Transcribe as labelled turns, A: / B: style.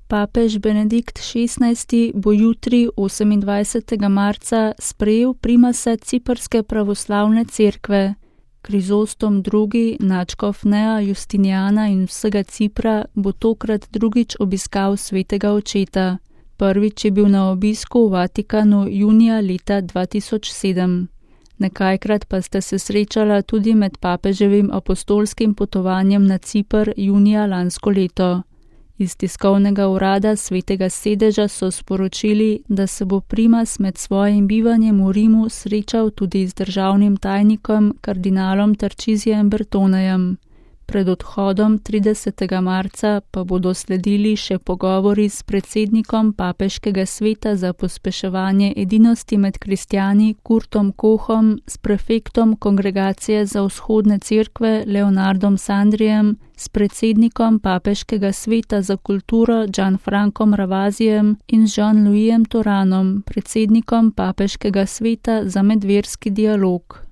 A: Papež Benedikt XVI bo jutri, 28. marca, sprejel primase Ciprske pravoslavne cerkve. Krizostom II, nadškof Nea Justiniana in vsega Cipra, bo tokrat drugič obiskal svetega očeta. Prvič je bil na obisku v Vatikanu junija leta 2007. Nekajkrat pa sta se srečala tudi med papeževim apostolskim potovanjem na Cipr junija lansko leto. Iz tiskovnega urada Svetega sedeža so sporočili, da se bo primas med svojim bivanjem v Rimu srečal tudi z državnim tajnikom kardinalom Tarcisijem Bertonejem. Pred odhodom 30. marca pa bodo sledili še pogovori s predsednikom Papeškega sveta za pospeševanje edinosti med kristjani Kurtom Kohom, s prefektom Kongregacije za vzhodne cerkve Leonardom Sandrijem, s predsednikom Papeškega sveta za kulturo Gianfrancom Ravazijem in z Jean-Louisem Toranom, predsednikom Papeškega sveta za medverski dialog.